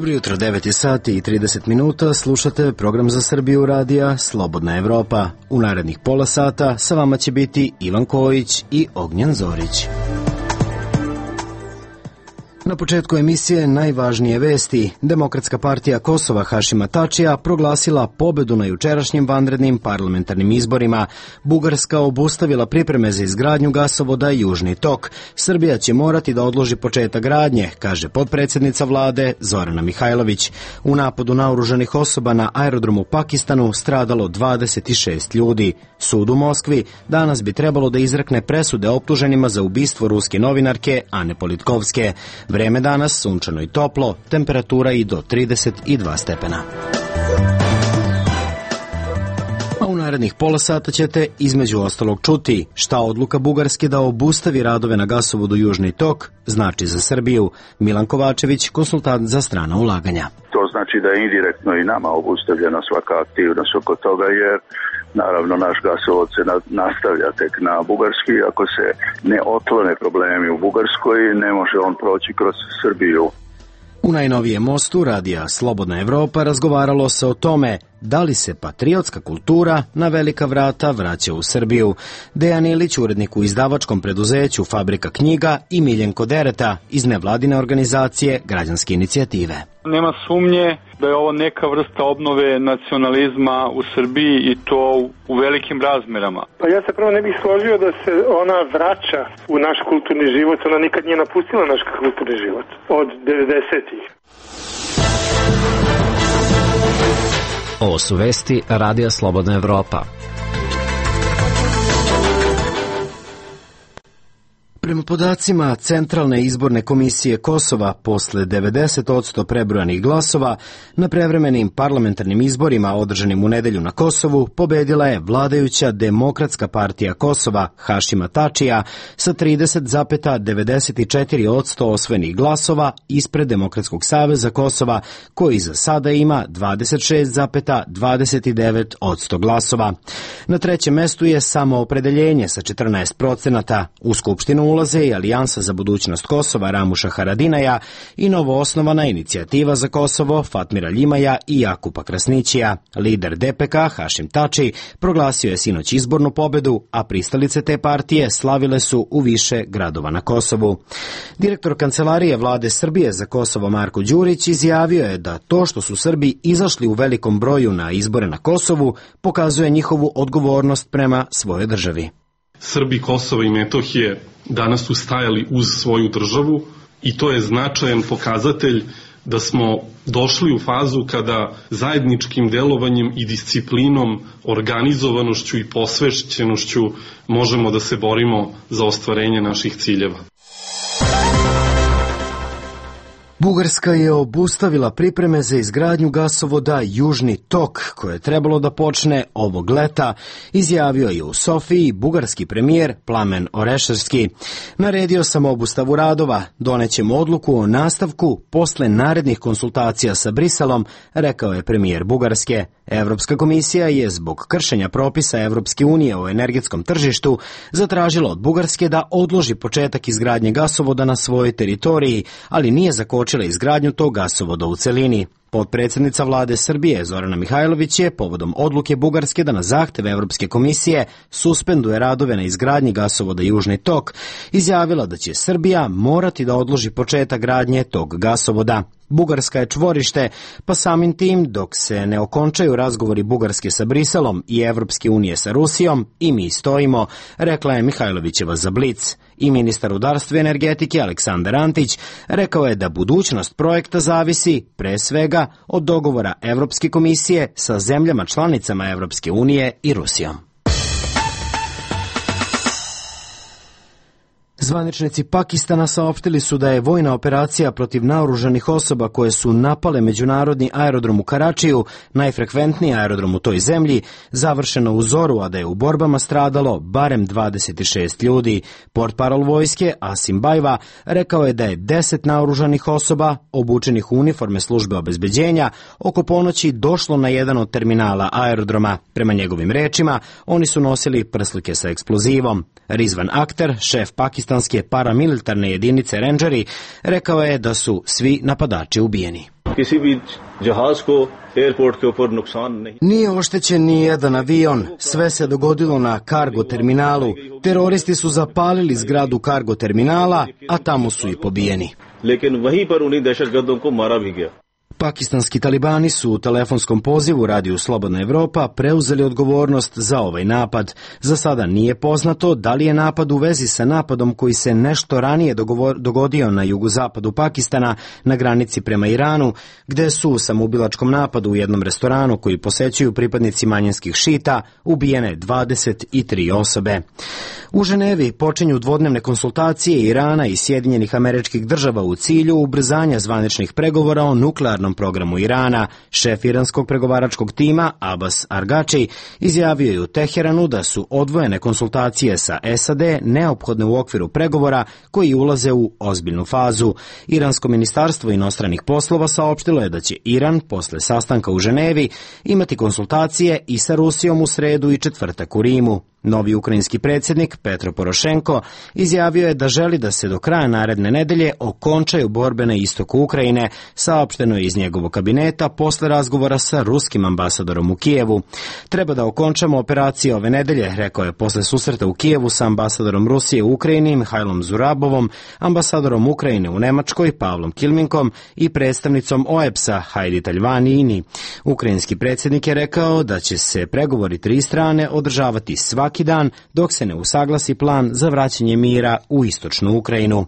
Dobro jutro, 9 sati i 30 minuta, slušate program za Srbiju radija Slobodna Evropa. U narednih pola sata sa vama će biti Ivan Kojić i Ognjen Zorić. Na početku emisije najvažnije vesti. Demokratska partija Kosova Hašima Tačija proglasila pobedu na jučerašnjim vanrednim parlamentarnim izborima. Bugarska obustavila pripreme za izgradnju gasovoda Južni tok. Srbija će morati da odloži početak gradnje, kaže potpredsjednica vlade Zorana Mihajlović. U napadu naoružanih osoba na aerodromu u Pakistanu stradalo 26 ljudi. Sud u Moskvi danas bi trebalo da izrekne presude optuženima za ubistvo ruske novinarke Ane Politkovske. Vreme danas sunčano i toplo, temperatura i do 32 stepena. A u narednih pola sata ćete između ostalog čuti šta odluka Bugarske da obustavi radove na gasovodu Južni tok znači za Srbiju. Milan Kovačević, konsultant za strana ulaganja. To znači da je indirektno i nama obustavljena svaka aktivnost oko toga, jer naravno naš gasovod se nastavlja tek na Bugarski. Ako se ne otklone problemi u Bugarskoj, ne može on proći kroz Srbiju. U najnovijem mostu radija Slobodna Evropa razgovaralo se o tome da li se patriotska kultura na velika vrata vraća u Srbiju. Dejan Ilić, urednik u izdavačkom preduzeću Fabrika knjiga, i Miljenko Dereta iz nevladine organizacije Građanske inicijative. Nema sumnje da je ovo neka vrsta obnove nacionalizma u Srbiji i to u velikim razmerama. Pa ja se prvo ne bih složio da se ona vraća u naš kulturni život, ona nikad nije napustila naš kulturni život od 90-ih. Ovo su vesti Radija Slobodna Evropa. Prema podacima Centralne izborne komisije Kosova, posle 90% prebrojanih glasova, na prevremenim parlamentarnim izborima održanim u nedelju na Kosovu pobedila je vladajuća Demokratska partija Kosova Hašima Tačija sa 30,94% osvojenih glasova ispred Demokratskog saveza Kosova, koji za sada ima 26,29% glasova. Na trećem mestu je Samoopredeljenje sa 14%. U Skupštinu ulaze i Alijansa za budućnost Kosova Ramuša Haradinaja i novoosnovana Inicijativa za Kosovo Fatmira Ljimaja i Jakupa Krasnićija. Lider DPK Hašim Tači proglasio je sinoć izbornu pobedu, a pristalice te partije slavile su u više gradova na Kosovu. Direktor Kancelarije vlade Srbije za Kosovo Marko Đurić izjavio je da to što su Srbi izašli u velikom broju na izbore na Kosovu pokazuje njihovu odgovornost prema svojoj državi. Srbi Kosova i Metohije danas su stajali uz svoju državu i to je značajan pokazatelj da smo došli u fazu kada zajedničkim delovanjem i disciplinom, organizovanošću i posvećenošću možemo da se borimo za ostvarenje naših ciljeva. Bugarska je obustavila pripreme za izgradnju gasovoda Južni tok, koje je trebalo da počne ovog leta, izjavio je u Sofiji bugarski premijer Plamen Orešarski. Naredio sam obustavu radova, donećemo odluku o nastavku posle narednih konsultacija sa Briselom, rekao je premijer Bugarske. Evropska komisija je zbog kršenja propisa Evropske unije o energetskom tržištu zatražila od Bugarske da odloži početak izgradnje gasovoda na svojoj teritoriji, ali nije zakočila izgradnju tog gasovoda u celini. Potpredsjednica vlade Srbije Zorana Mihajlović je povodom odluke Bugarske da na zahtev Evropske komisije suspenduje radove na izgradnji gasovoda Južni tok izjavila da će Srbija morati da odloži početak gradnje tog gasovoda. Bugarska je čvorište, pa samim tim dok se ne okončaju razgovori Bugarske sa Briselom i Evropske unije sa Rusijom, i mi stojimo, rekla je Mihajlovićeva za Blic. I ministar rudarstva i energetike Aleksandar Antić rekao je da budućnost projekta zavisi, pre svega, od dogovora Evropske komisije sa zemljama članicama Evropske unije i Rusijom. Zvaničnici Pakistana saopštili su da je vojna operacija protiv naoružanih osoba koje su napale međunarodni aerodrom u Karačiju, najfrekventniji aerodrom u toj zemlji, završena u zoru, a da je u borbama stradalo barem 26 ljudi. Portparol vojske Asim Bajva rekao je da je 10 naoružanih osoba, obučenih u uniforme službe obezbeđenja, oko ponoći došlo na jedan od terminala aerodroma. Prema njegovim rečima, oni su nosili prslike sa eksplozivom. Rizvan Akhter, šef pakistanske paramilitarne jedinice Rangeri, rekao je da su svi napadači ubijeni. किसी भी जहाज को एयरपोर्ट के ऊपर नुकसान नहीं. Nije oštećen ni jedan avion, sve se dogodilo na kargo terminalu. Teroristi su zapalili zgradu kargo terminala, a tamo su i pobijeni. लेकिन वहीं पर उन्हीं दहशतगर्दों को मारा भी गया. Pakistanski talibani su u telefonskom pozivu radiju Slobodna Evropa preuzeli odgovornost za ovaj napad. Za sada nije poznato da li je napad u vezi sa napadom koji se nešto ranije dogodio na jugozapadu Pakistana na granici prema Iranu, gde su u samoubilačkom napadu u jednom restoranu koji posećuju pripadnici manjinskih šita ubijene 23 osobe. U Ženevi počinju dvodnevne konsultacije Irana i Sjedinjenih Američkih Država u cilju ubrzanja zvaničnih pregovora o nuklearnom programu Irana. Šef iranskog pregovaračkog tima Abbas Argači izjavio je u Teheranu da su odvojene konsultacije sa SAD neophodne u okviru pregovora koji ulaze u ozbiljnu fazu. Iransko ministarstvo inostranih poslova saopštilo je da će Iran posle sastanka u Ženevi imati konsultacije i sa Rusijom u sredu i četvrtak u Rimu. Novi ukrajinski predsjednik Petro Porošenko izjavio je da želi da se do kraja naredne nedelje okončaju borbe na istoku Ukrajine, saopšteno je iz njegovog kabineta posle razgovora sa ruskim ambasadorom u Kijevu. Treba da okončamo operacije ove nedelje, rekao je posle susreta u Kijevu sa ambasadorom Rusije u Ukrajini Mihajlom Zurabovom, ambasadorom Ukrajine u Nemačkoj Pavlom Kilminkom i predstavnicom OEBS-a Hajdi Taljvani-Ini. Ukrajinski predsjednik je rekao da će se pregovori tri strane održavati svaki dan dok se ne usaglasi plan za vraćanje mira u istočnu Ukrajinu.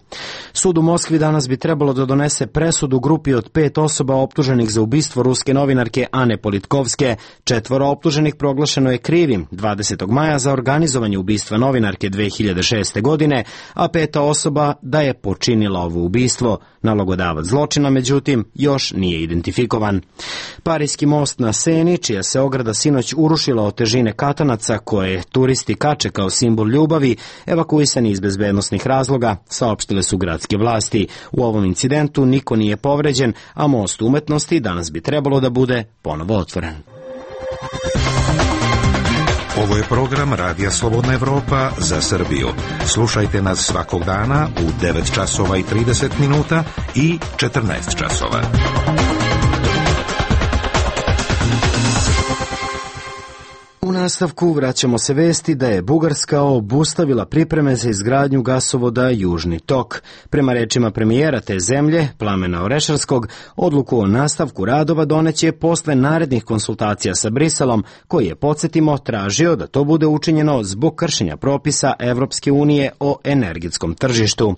Sud u Moskvi danas bi trebalo da donese presudu grupi od 5 osoba optuženih za ubistvo ruske novinarke Ane Politkovske. 4 optuženih proglašeno je krivim 20. maja za organizovanje ubistva novinarke 2006. godine, a 5. osoba da je počinila ovo ubistvo. Nalogodavac zločina, međutim, još nije identifikovan. Parijski most na Seni, čija se ograda sinoć urušila od težine katanaca koje turisti kače kao simbol ljubavi, evakuisani iz bezbednosnih razloga, saopštile su gradske vlasti. U ovom incidentu niko nije povređen, a most umetnosti danas bi trebalo da bude ponovo otvoren. Ovo je program Radija Slobodna Evropa za Srbiju. Slušajte nas svakog dana u 9 časova i 30 minuta i 14 časova. U nastavku vraćamo se vesti da je Bugarska obustavila pripreme za izgradnju gasovoda Južni tok. Prema rečima premijera te zemlje, Plamena Orešarskog, odluku o nastavku radova doneće posle narednih konsultacija sa Briselom, koji je, podsjetimo, tražio da to bude učinjeno zbog kršenja propisa Evropske unije o energetskom tržištu.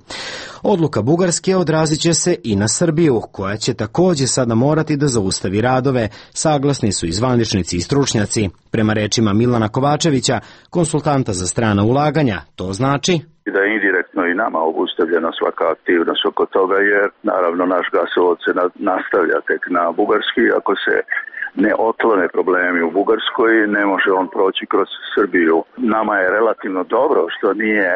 Odluka Bugarske odrazit će se i na Srbiju, koja će takođe sada morati da zaustavi radove, saglasni su i zvaničnici i stručnjaci. Prema rečima Milana Kovačevića, konsultanta za strana ulaganja, to znači da je indirektno i nama obustavljena svaka aktivnost oko toga, jer naravno naš gasovod se nastavlja tek na Bugarski. Ako se ne otklone problemi u Bugarskoj, ne može on proći kroz Srbiju. Nama je relativno dobro što nije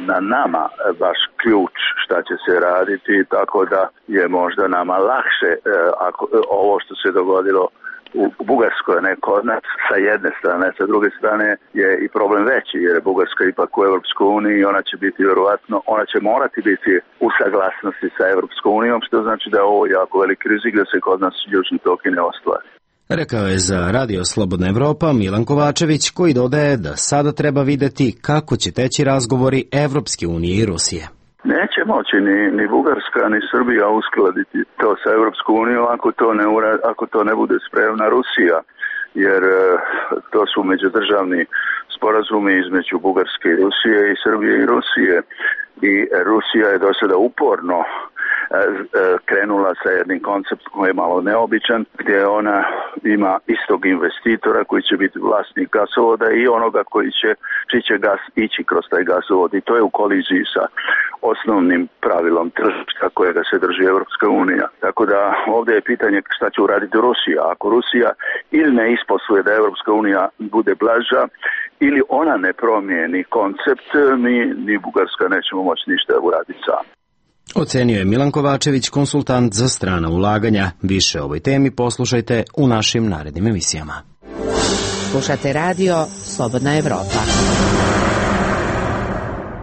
na nama baš ključ šta će se raditi, tako da je možda nama lakše ovo što se dogodilo u Bugarskoj, ne kod nas, sa jedne strane. Sa druge strane je i problem veći, jer je Bugarska ipak u Evropskoj uniji i ona će biti vjerovatno, ona će morati biti u saglasnosti sa Evropskom unijom, što znači da je ovo jako veliki rizik da se kod nas Južni tok i ne ostvari. Rekao je za Radio Slobodna Evropa Milan Kovačević, koji dodaje da sada treba videti kako će teći razgovori Evropske unije i Rusije. Neće moći ni Bugarska ni Srbija uskladiti to sa Evropskom unijom ako to ne bude spremna Rusija, jer to su međudržavni sporazumi između Bugarske i Rusije i Srbije i Rusije, i Rusija je do sada uporno krenula sa jednim konceptom koji je malo neobičan, gdje ona ima istog investitora koji će biti vlasnik gasovoda i onoga čiji će gas ići kroz taj gasovod, i to je u koliziji sa osnovnim pravilom tržišta kojega se drži Evropska unija. Tako da ovdje je pitanje šta će uraditi Rusija. Ako Rusija ili ne isposluje da Evropska unija bude blaža, ili ona ne promijeni koncept, ni Bugarska nećemo moći ništa uraditi sami. Ocenio je Milan Kovačević, konsultant za strana ulaganja. Više o ovoj temi poslušajte u našim narednim emisijama. Slušate radio Slobodna Evropa.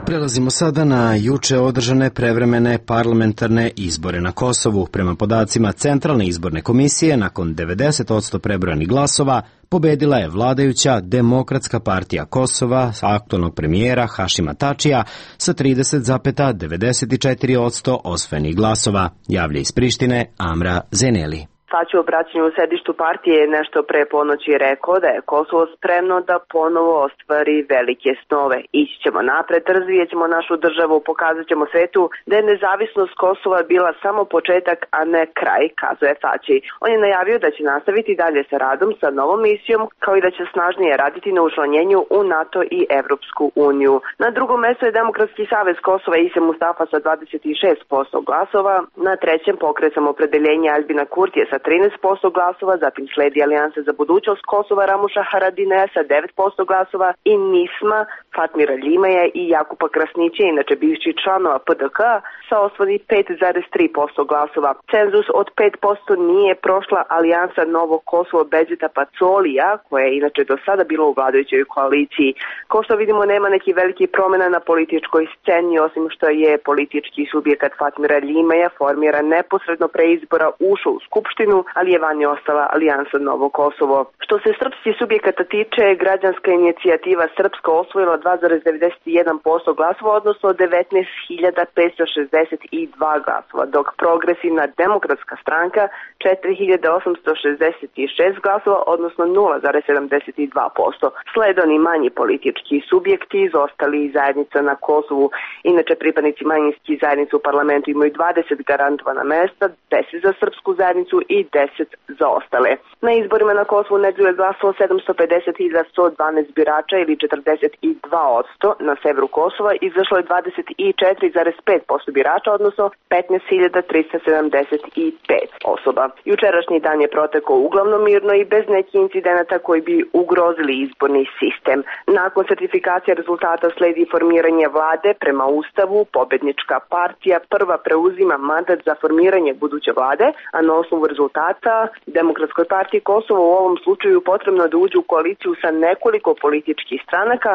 Prelazimo sada na juče održane prevremene parlamentarne izbore na Kosovu. Prema podacima Centralne izborne komisije, nakon 90% prebrojanih glasova, pobedila je vladajuća Demokratska partija Kosova aktualnog premijera Hašima Tačija sa 30,94% osvojenih glasova, javlja iz Prištine Amra Zeneli. Tači u obraćanju u sedištu partije je nešto pre ponoći rekao da je Kosovo spremno da ponovo ostvari velike snove. Ići ćemo napred, razvijet ćemo našu državu, pokazat ćemo svetu da je nezavisnost Kosova bila samo početak, a ne kraj, kazuje Tači. On je najavio da će nastaviti dalje sa radom sa novom misijom, kao i da će snažnije raditi na učlanjenju u NATO i Evropsku uniju. Na drugom mestu je Demokratski savez Kosova Ise Mustafa sa 26% glasova, na trećem Pokret Samoopredeljenja Aljbina Kurtija sa 13% glasova, zatim sledi Alijansa za budućnost Kosova Ramuša Haradinaja sa 9% glasova i Nisma Fatmira Ljimaja i Jakupa Krasnića, inače bivši članova PDK, sa osvodi 5,3% glasova. Cenzus od 5% nije prošla Alijansa Novo Kosovo Beđeta Pacolija, koja je inače do sada bila u vladajućoj koaliciji. Kao što vidimo, nema neki veliki promjena na političkoj sceni, osim što je politički subjekat Fatmira Ljimaja formiran neposredno pre izbora ušao u Skupštinu, ali je vanje ostala Alijansa Novo Kosovo. Što se srpskih subjekata tiče, građanska inicijativa Srpska osvojila 2,91% glasova, odnosno 19.562 glasova, dok Progresivna demokratska stranka 4.866 glasova, odnosno 0,72%. Slede oni manji politički subjekti, izostali i zajednica na Kosovu. Inače, pripadnici manjinskih zajednica u parlamentu imaju 20 garantovana mesta, 10 za srpsku zajednicu i 10 za ostale. Na izborima na Kosovu nedelju je glasalo 750.112 birača ili 42%, na severu Kosova izašlo je 24,5% birača, odnosno 15.375 osoba. Jučerašnji dan je protekao uglavnom mirno i bez nekih incidenata koji bi ugrozili izborni sistem. Nakon sertifikacije rezultata sledi formiranje vlade. Prema Ustavu, pobednička partija prva preuzima mandat za formiranje buduće vlade, a na osnovu rezultata Demokratskoj partiji Kosova u ovom slučaju potrebno da uđe u koaliciju sa nekoliko političkih stranaka,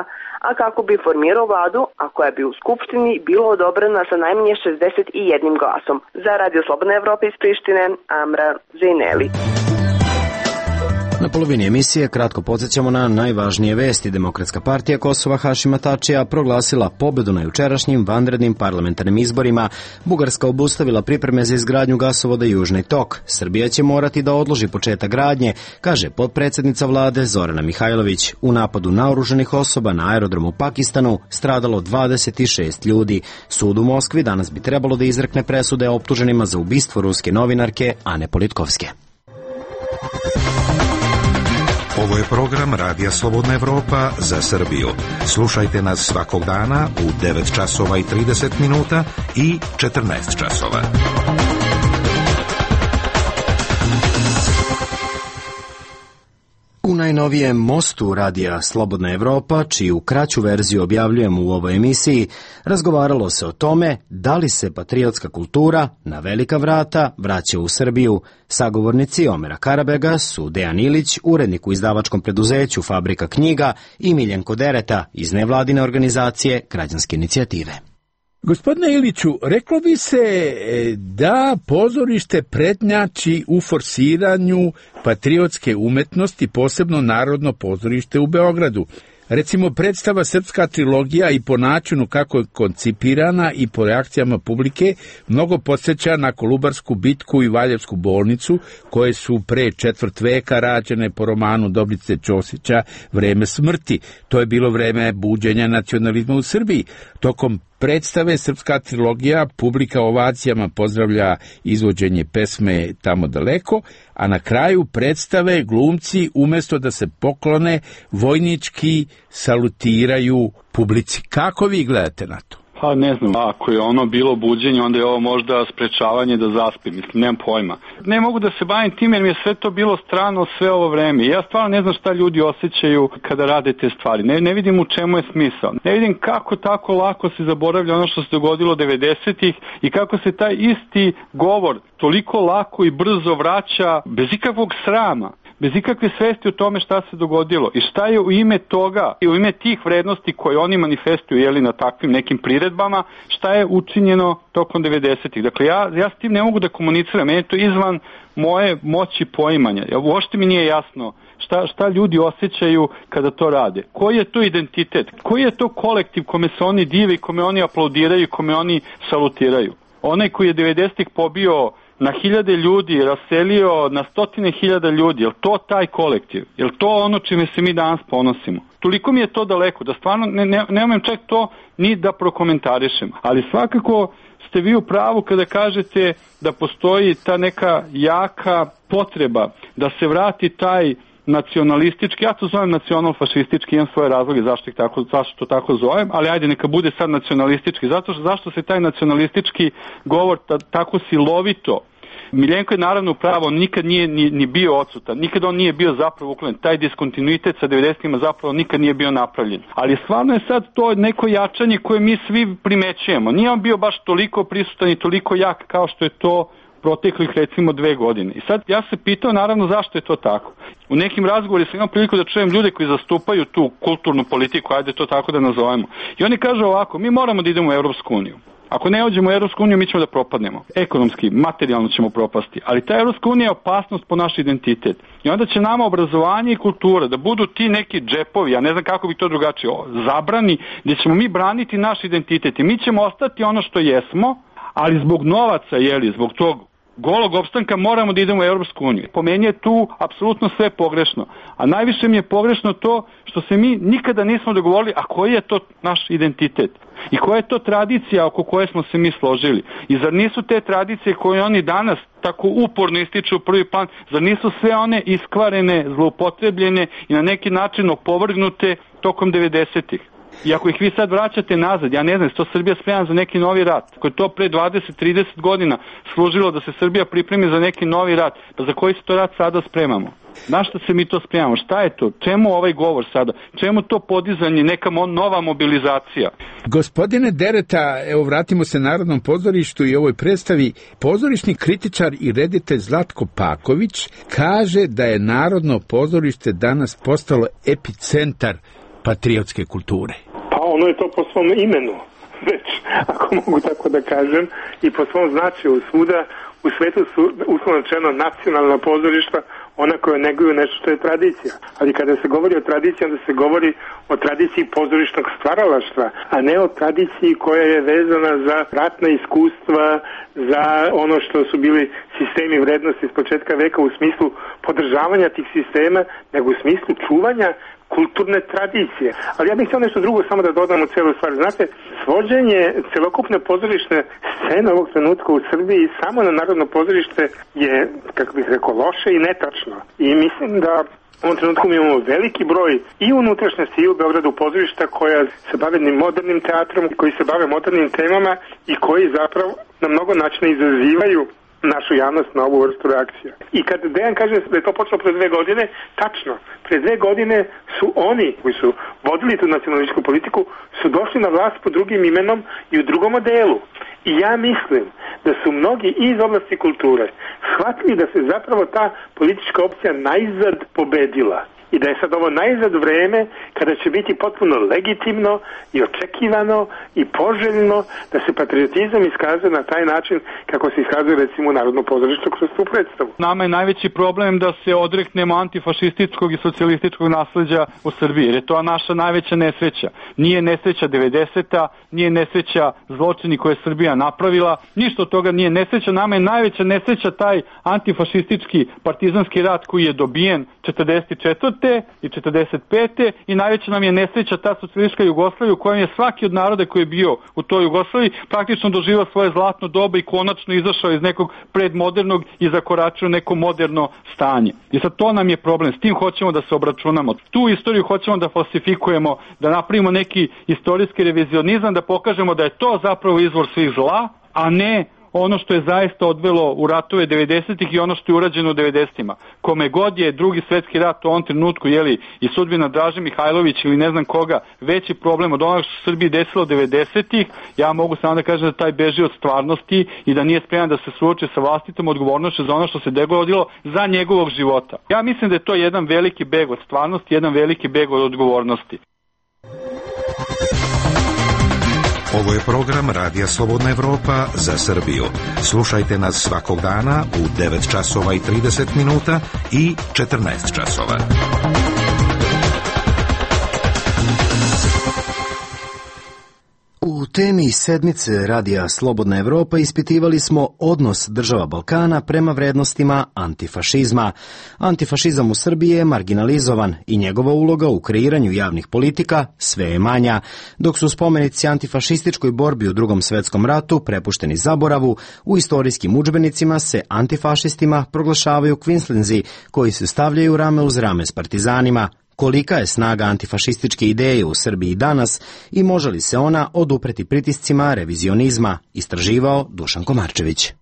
a kako bi formirao vladu, a koja bi u Skupštini bila odobrena sa najmanje 61 glasom. Za Radio Slobodna Evropa iz Prištine, Amra Zeneli. Na polovini emisije kratko podsjećamo na najvažnije vesti. Demokratska partija Kosova Hašima Tačija proglasila pobedu na jučerašnjim vanrednim parlamentarnim izborima. Bugarska obustavila pripreme za izgradnju gasovoda Južni tok. Srbija će morati da odloži početak gradnje, kaže potpredsjednica vlade Zorana Mihajlović. U napadu naoružanih osoba na aerodromu u Pakistanu stradalo 26 ljudi. Sud u Moskvi danas bi trebalo da izrekne presude optuženima za ubistvo ruske novinarke Ane Politkovske. Ovo je program Radija Slobodna Evropa za Srbiju. Slušajte nas svakog dana u 9 časova i 30 minuta i 14 časova. U najnovijem mostu Radija Slobodna Evropa, čiju kraću verziju objavljujemo u ovoj emisiji, razgovaralo se o tome da li se patriotska kultura na velika vrata vraća u Srbiju. Sagovornici Omera Karabega su Dejan Ilić, urednik u izdavačkom preduzeću Fabrika knjiga, i Miljenko Dereta iz nevladine organizacije Građanske inicijative. Gospodine Iliću, reklo bi se da pozorište prednjači u forsiranju patriotske umetnosti, posebno Narodno pozorište u Beogradu. Recimo, predstava Srpska trilogija i po načinu kako je koncipirana i po reakcijama publike mnogo podsjeća na Kolubarsku bitku i Valjevsku bolnicu, koje su pre četvrt veka rađene po romanu Dobrice Ćosića Vreme smrti. To je bilo vreme buđenja nacionalizma u Srbiji. Tokom predstave Srpska trilogija publika ovacijama pozdravlja izvođenje pesme Tamo daleko, a na kraju predstave glumci umjesto da se poklone vojnički salutiraju publici. Kako vi gledate na to? Pa ne znam, ako je ono bilo buđenje, onda je ovo možda sprečavanje da zaspim, mislim, nemam pojma. Ne mogu da se bavim tim jer mi je sve to bilo strano sve ovo vreme. Ja stvarno ne znam šta ljudi osjećaju kada rade te stvari. Ne vidim u čemu je smisao. Ne vidim kako tako lako se zaboravlja ono što se dogodilo 90-ih i kako se taj isti govor toliko lako i brzo vraća bez ikakvog srama. bez ikakve svesti o tome šta se dogodilo i šta je u ime toga i u ime tih vrednosti koje oni manifestuju na takvim nekim priredbama, šta je učinjeno tokom 90-ih. Dakle, ja s tim ne mogu da komuniciram, meni je to izvan moje moći poimanja. Uopšte mi nije jasno šta ljudi osjećaju kada to rade. Koji je to identitet? Koji je to kolektiv kome se oni dive i kome oni aplaudiraju i kome oni salutiraju? Onaj koji je 90-ih pobio na hiljade ljudi, raselio na stotine hiljada ljudi, je li to taj kolektiv? Je li to ono čime se mi danas ponosimo? Toliko mi je to daleko da stvarno ne umem čak to ni da prokomentarišem. Ali svakako ste vi u pravu kada kažete da postoji ta neka jaka potreba da se vrati taj nacionalistički, ja to zovem nacional-fašistički, imam svoje razloge zašto to tako zovem, ali ajde neka bude sad nacionalistički. Zašto se taj nacionalistički govor tako silovito, Miljenko je naravno pravo, nikad nije ni bio odsutan, nikad on nije bio zapravo uklonen, taj diskontinuitet sa 90-ima zapravo nikad nije bio napravljen. Ali stvarno je sad to neko jačanje koje mi svi primećujemo. Nije on bio baš toliko prisutan i toliko jak kao što je to proteklih recimo 2 godine. I sad ja se pitao naravno zašto je to tako. U nekim razgovorima sam imao priliku da čujem ljude koji zastupaju tu kulturnu politiku, ajde to tako da nazovemo. I oni kažu ovako, mi moramo da idemo u Evropsku uniju. Ako ne uđemo u Evropsku uniju, mi ćemo da propadnemo. Ekonomski, materijalno ćemo propasti. Ali ta Evropska unija je opasnost po naš identitet. I onda će nama obrazovanje i kultura da budu ti neki džepovi, ja ne znam kako bi to drugačije, zabrani, gdje ćemo mi braniti naš identitet. I mi ćemo ostati ono što jesmo, ali zbog novaca, zbog tog golog opstanka moramo da idemo u Evropsku uniju. Po meni je tu apsolutno sve pogrešno. A najviše mi je pogrešno to što se mi nikada nismo dogovorili, a koji je to naš identitet? I koja je to tradicija oko koje smo se mi složili? I zar nisu te tradicije koje oni danas tako uporno ističu u prvi plan, zar nisu sve one iskvarene, zloupotrebljene i na neki način opovrgnute tokom 90-ih? I ako ih vi sad vraćate nazad, ja ne znam, to Srbija spremna za neki novi rat. Ako je to pre 20-30 godina služilo da se Srbija pripremi za neki novi rat, pa za koji se to rat sada spremamo? Na što se mi to spremamo? Šta je to? Čemu ovaj govor sada? Čemu to podizanje, neka nova mobilizacija? Gospodine Dereta, evo vratimo se Narodnom pozorištu i ovoj predstavi. Pozorišni kritičar i reditelj Zlatko Paković kaže da je Narodno pozorište danas postalo epicentar patriotske kulture. Pa ono je to po svom imenu, već, ako mogu tako da kažem, i po svom značaju. Svuda u svetu su, uslovno rečeno, nacionalna pozorišta, ona koja neguju nešto što je tradicija. Ali kada se govori o tradiciji, onda se govori o tradiciji pozorišnog stvaralaštva, a ne o tradiciji koja je vezana za ratna iskustva, za ono što su bili sistemi vrednosti s početka veka u smislu podržavanja tih sistema, nego u smislu čuvanja kulturne tradicije. Ali ja bih htio nešto drugo samo da dodam u celu stvar. Znate, svođenje celokupne pozorišne scene ovog trenutka u Srbiji samo na Narodno pozorište je, kako bih rekao, loše i netačno. I mislim da u ovom trenutku mi imamo veliki broj i unutrašnjosti i u Beogradu pozorišta koja se bave modernim teatrom, koji se bave modernim temama i koji zapravo na mnogo načina izazivaju našu javnost na ovu vrstu reakcija. I kad Dejan kaže da je to počelo pre 2 godine, tačno, pre 2 godine su oni koji su vodili tu nacionalističku politiku su došli na vlast pod drugim imenom i u drugom modelu. I ja mislim da su mnogi iz oblasti kulture shvatili da se zapravo ta politička opcija najzad pobedila. I da je sad ovo najzad vreme kada će biti potpuno legitimno i očekivano i poželjno da se patriotizam iskazuje na taj način kako se iskazuje recimo u Narodno pozorište kroz tu predstavu. Nama je najveći problem da se odreknemo antifašističkog i socijalističkog nasleđa u Srbiji, jer je to naša najveća nesreća. Nije nesreća 90-a, nije nesreća zločini koje je Srbija napravila, ništa od toga nije nesreća. Nama je najveća nesreća taj antifašistički partizanski rat koji je dobijen 44. i 45. i najveća nam je nesreća ta socijalistička Jugoslavija u kojoj je svaki od naroda koji je bio u toj Jugoslaviji praktično doživao svoje zlatno doba i konačno izašao iz nekog predmodernog i zakoračio neko moderno stanje. I sad to nam je problem, s tim hoćemo da se obračunamo. Tu istoriju hoćemo da falsifikujemo, da napravimo neki istorijski revizionizam, da pokažemo da je to zapravo izvor svih zla, a ne ono što je zaista odvelo u ratove 90-ih i ono što je urađeno u 90-ima. Kome god je drugi svetski rat u ovom trenutku, i sudbina Draže Mihajlović ili ne znam koga, veći problem od onoga što se Srbiji desilo 90-ih, ja mogu samo da kažem da taj beži od stvarnosti i da nije spreman da se suoči sa vlastitom odgovornošću za ono što se dogodilo za njegovog života. Ja mislim da je to jedan veliki beg od stvarnosti, jedan veliki beg od odgovornosti. Ovo je program Radija Slobodna Evropa za Srbiju. Slušajte nas svakog dana u 9 časova i 30 minuta i 14 časova. U temi sedmice Radija Slobodna Evropa ispitivali smo odnos država Balkana prema vrednostima antifašizma. Antifašizam u Srbiji je marginalizovan i njegova uloga u kreiranju javnih politika sve je manja, dok su spomenici antifašističkoj borbi u Drugom svetskom ratu prepušteni zaboravu, u istorijskim udžbenicima se antifašistima proglašavaju kvinslinzi koji se stavljaju rame uz rame s partizanima. Kolika je snaga antifašističke ideje u Srbiji danas i može li se ona odupreti pritiscima revizionizma, istraživao Dušan Komarčević.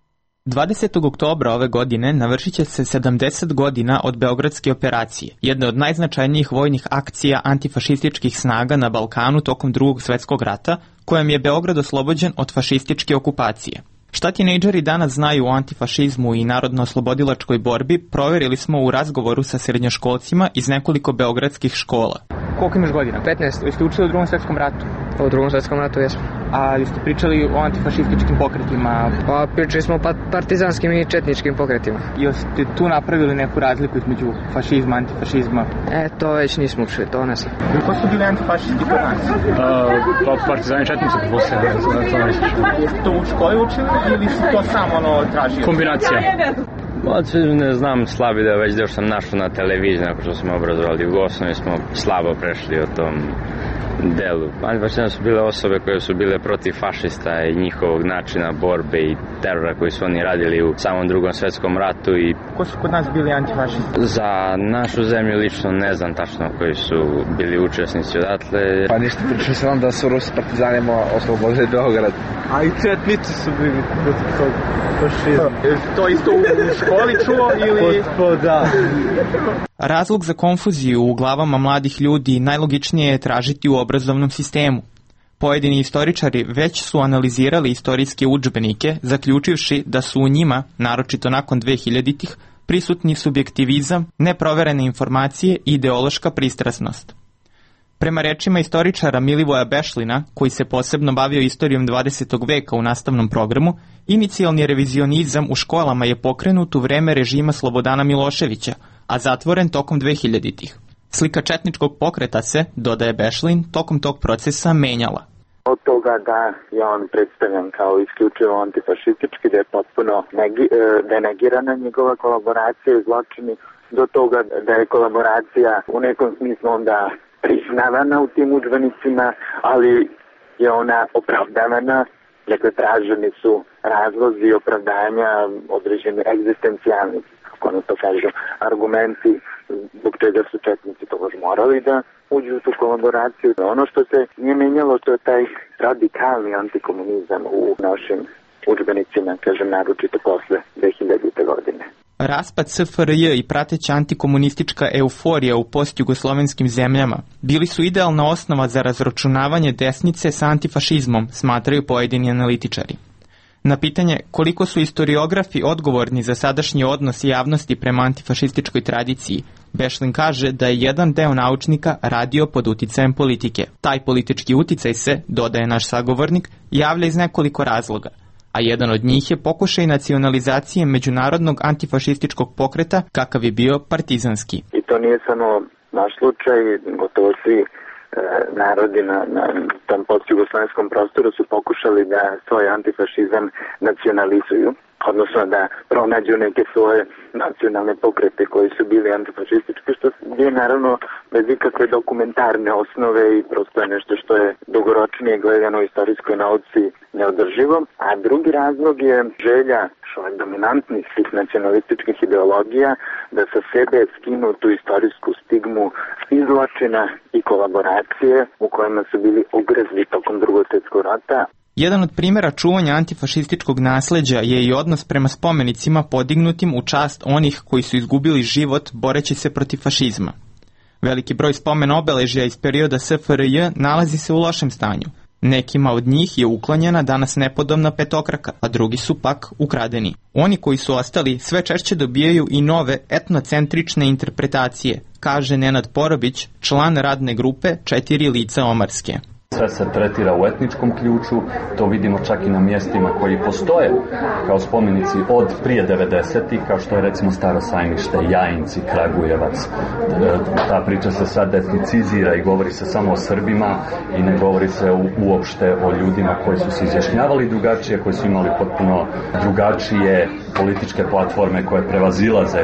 20. oktobra ove godine navršit će se 70 godina od Beogradske operacije, jedne od najznačajnijih vojnih akcija antifašističkih snaga na Balkanu tokom Drugog svetskog rata, kojom je Beograd oslobođen od fašističke okupacije. Šta tinejdžeri danas znaju o antifašizmu i narodno-oslobodilačkoj borbi, proverili smo u razgovoru sa srednjoškolcima iz nekoliko beogradskih škola. Koliko imaš godina? 15. Jeste učili u Drugom svetskom ratu? U Drugom svetskom ratu, jesmo. A jeste pričali o antifašističkim pokretima? Pa pričali smo o partizanskim i četničkim pokretima. Jeste tu napravili neku razliku između fašizma, antifašizma? To već nismo učili, to ne znam. Ko su bili antifašisti kod nas? Partizani četnici, Jeste to u školi učili ili si to samo tražio? Kombinacija. Ne znam, slabi da već sam našao na televiziji, nakon što smo obrazovali u Gosnovi, smo slabo prešli o tom delu. Antifašizam su bile osobe koje su bile protiv fašista i njihovog načina borbe i terora koji su oni radili u samom Drugom svetskom ratu. Ko su kod nas bili antifašisti? Za našu zemlju lično ne znam tačno koji su bili učesnici odatle. Pa ništa, pričao sam vam da su Rusi partizanima oslobodili Beograd. A i četnici su bili protiv tog fašizma. To isto u školi čuo ili... Da. Razlog za konfuziju u glavama mladih ljudi najlogičnije je tražiti u obrazovnom sistemu. Pojedini istoričari već su analizirali istorijske udžbenike, zaključivši da su u njima, naročito nakon 2000-ih, prisutni subjektivizam, neproverene informacije i ideološka pristrasnost. Prema rečima istoričara Milivoja Bešlina, koji se posebno bavio istorijom 20. veka u nastavnom programu, inicijalni revizionizam u školama je pokrenut u vreme režima Slobodana Miloševića, a zatvoren tokom 2000-ih. Slika četničkog pokreta se, dodaje Bešlin, tokom tog procesa menjala. Od toga da je on predstavljen kao isključivo antifašistički, da je potpuno denegirana njegova kolaboracija i zločini, do toga da je kolaboracija u nekom smislu onda priznavana u tim udžbenicima, ali je ona opravdavana. Dakle, traženi su razlozi i opravdanja određeni egzistencijalni, kako ono to kažu, argumenti zbog čega su četnici togož morali da uđu u tu kolaboraciju. Ono što se nije menjalo, to je taj radikalni antikomunizam u našim udžbenicima, kažem, naročito posle 2000. godine. Raspad SFRJ i prateća antikomunistička euforija u postjugoslovenskim zemljama bili su idealna osnova za razračunavanje desnice sa antifašizmom, smatraju pojedini analitičari. Na pitanje koliko su historiografi odgovorni za sadašnji odnos javnosti prema antifašističkoj tradiciji, Bešlin kaže da je jedan deo naučnika radio pod uticajem politike. Taj politički uticaj se, dodaje naš sagovornik, javlja iz nekoliko razloga, a jedan od njih je pokušaj nacionalizacije međunarodnog antifašističkog pokreta kakav je bio partizanski. I to nije samo naš slučaj, gotovo svi narodi na tom postjugoslovenskom prostoru su pokušali da svoj antifašizam nacionalizuju, odnosno da pronađu neke svoje nacionalne pokrete koji su bili antifašistički, što je naravno bez ikakve dokumentarne osnove i prosto je nešto što je dugoročnije gledano u istorijskoj nauci neodrživo. A drugi razlog je želja dominantnih svih nacionalističkih ideologija da sa sebe skinu tu istorijsku stigmu izločina i kolaboracije u kojima su bili ugrezli tokom Drugog svjetskog rata. Jedan od primjera čuvanja antifašističkog nasleđa je i odnos prema spomenicima podignutim u čast onih koji su izgubili život boreći se protiv fašizma. Veliki broj spomen obeležja iz perioda SFRJ nalazi se u lošem stanju. Nekima od njih je uklonjena danas nepodobna petokraka, a drugi su pak ukradeni. Oni koji su ostali sve češće dobijaju i nove etnocentrične interpretacije, kaže Nenad Porobić, član radne grupe 4 lica Omarske. Sve se tretira u etničkom ključu, to vidimo čak i na mjestima koji postoje kao spomenici od prije 90-ih, kao što je recimo Staro Sajmište, Jajinci, Kragujevac. Ta priča se sad etnicizira i govori se samo o Srbima i ne govori se uopšte o ljudima koji su se izjašnjavali drugačije, koji su imali potpuno drugačije političke platforme koje prevazilaze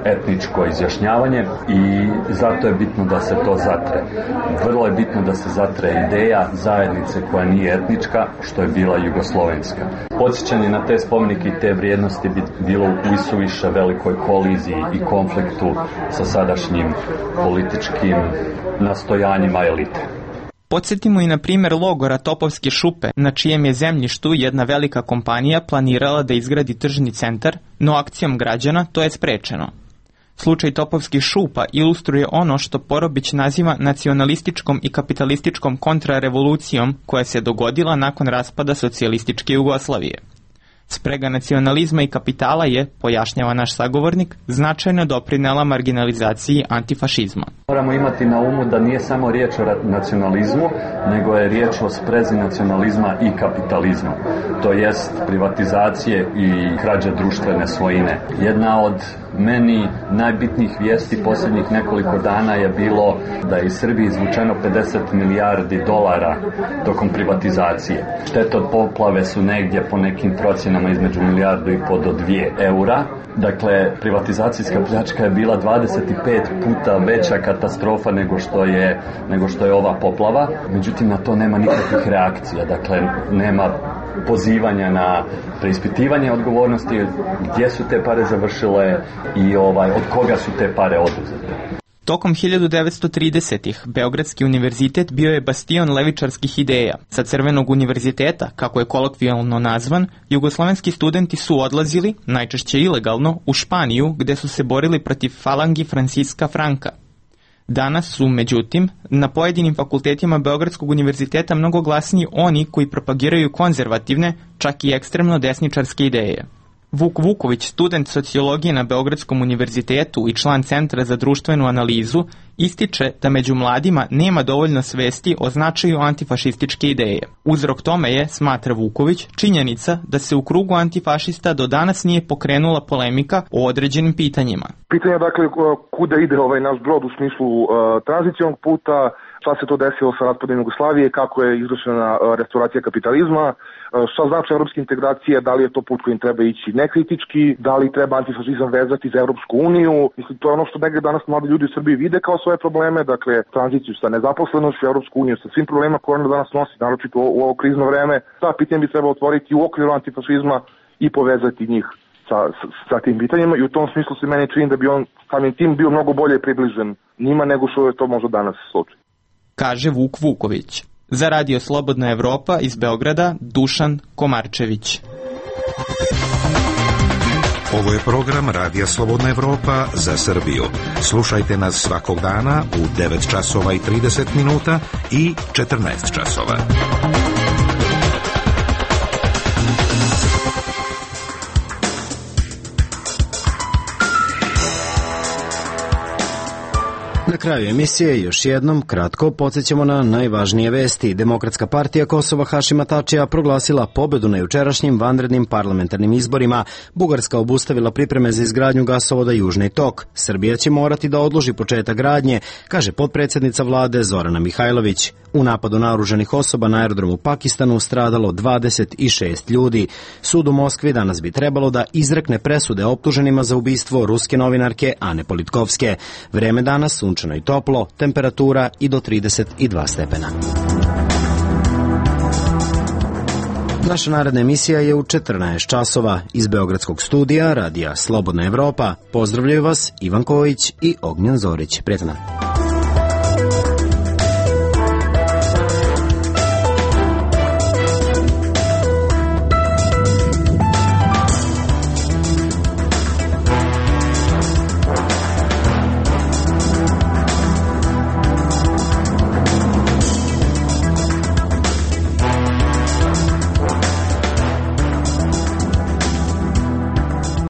etničko izjašnjavanje i zato je bitno da se to zatre. Vrlo je bitno da se zatre ideja zajednice koja nije etnička, što je bila jugoslovenska. Podsjećanje na te spomenike i te vrijednosti bi bilo u isuviše velikoj koliziji i konfliktu sa sadašnjim političkim nastojanjima elite. Podsjetimo i na primjer logora Topovske šupe, na čijem je zemljištu jedna velika kompanija planirala da izgradi tržni centar, no akcijom građana to je sprečeno. Slučaj Topovskih šupa ilustruje ono što Porobić naziva nacionalističkom i kapitalističkom kontrarevolucijom koja se dogodila nakon raspada socijalističke Jugoslavije. Sprega nacionalizma i kapitala je, pojašnjava naš sagovornik, značajno doprinela marginalizaciji antifašizma. Moramo imati na umu da nije samo riječ o nacionalizmu, nego je riječ o sprezi nacionalizma i kapitalizma. To jest privatizacije i krađe društvene svojine. Jedna od meni najbitnijih vijesti posljednjih nekoliko dana je bilo da je iz Srbije izvučeno 50 milijardi dolara tokom privatizacije. Štete od poplave su negdje po nekim procjenama između 1,5 milijardu do 2 eura. Dakle, privatizacijska pljačka je bila 25 puta veća katastrofa nego što je ova poplava. Međutim, na to nema nikakvih reakcija. Dakle, nema pozivanja na preispitivanje odgovornosti, gdje su te pare završile i od koga su te pare oduzete. Tokom 1930-ih Beogradski univerzitet bio je bastion levičarskih ideja. Sa Crvenog univerziteta, kako je kolokvijalno nazvan, jugoslovenski studenti su odlazili, najčešće ilegalno, u Španiju, gde su se borili protiv falangi Franciska Franka. Danas su, međutim, na pojedinim fakultetima Beogradskog univerziteta mnogo glasniji oni koji propagiraju konzervativne, čak i ekstremno desničarske ideje. Vuk Vuković, student sociologije na Beogradskom univerzitetu i član Centra za društvenu analizu, ističe da među mladima nema dovoljno svesti o značaju antifašističke ideje. Uzrok tome je, smatra Vuković, činjenica da se u krugu antifašista do danas nije pokrenula polemika o određenim pitanjima. Pitanje je dakle kuda ide ovaj naš brod u smislu tranzicionog puta, šta se to desilo sa raspadom Jugoslavije, kako je izvršena restauracija kapitalizma, šta znači evropske integracije, da li je to put kojim treba ići nekritički, da li treba antifašizam vezati za Europsku uniju. Mislim, to je ono što negdje danas mladi ljudi u Srbiji vide kao svoje probleme, dakle tranziciju sa nezaposlenošću, Europsku uniju sa svim problemima koje ona danas nosi, naročito u ovo krizno vreme. Ta pitanja bi trebalo otvoriti u okviru antifašizma i povezati njih sa tim pitanjima i u tom smislu se meni čini da bi on samim tim bio mnogo bolje približen njima nego što je to možda danas slučaj. Kaže Vuk Vuković. Za Radio Slobodna Evropa iz Beograda, Dušan Komarčević. Ovo je program Radija Slobodna Evropa za Srbiju. Slušajte nas svakog dana u 9 časova i 30 minuta i 14 časova. Na kraju emisije još jednom kratko podsjećamo na najvažnije vesti. Demokratska partija Kosova Hašima Tačija proglasila pobedu na jučerašnjim vanrednim parlamentarnim izborima. Bugarska obustavila pripreme za izgradnju gasovoda Južni tok. Srbija će morati da odloži početak gradnje, kaže potpredsjednica vlade Zorana Mihajlović. U napadu naoružanih osoba na aerodromu u Pakistanu stradalo 26 ljudi. Sud u Moskvi danas bi trebalo da izrekne presude optuženima za ubistvo ruske novinarke Ane Politkovske. Vreme danas sunčano i toplo, temperatura i do 32 stepena. Naša naredna emisija je u 14 časova. Iz Beogradskog studija Radija Slobodna Evropa pozdravljaju vas Ivan Kojić i Ognjen Zorić. Prijetno.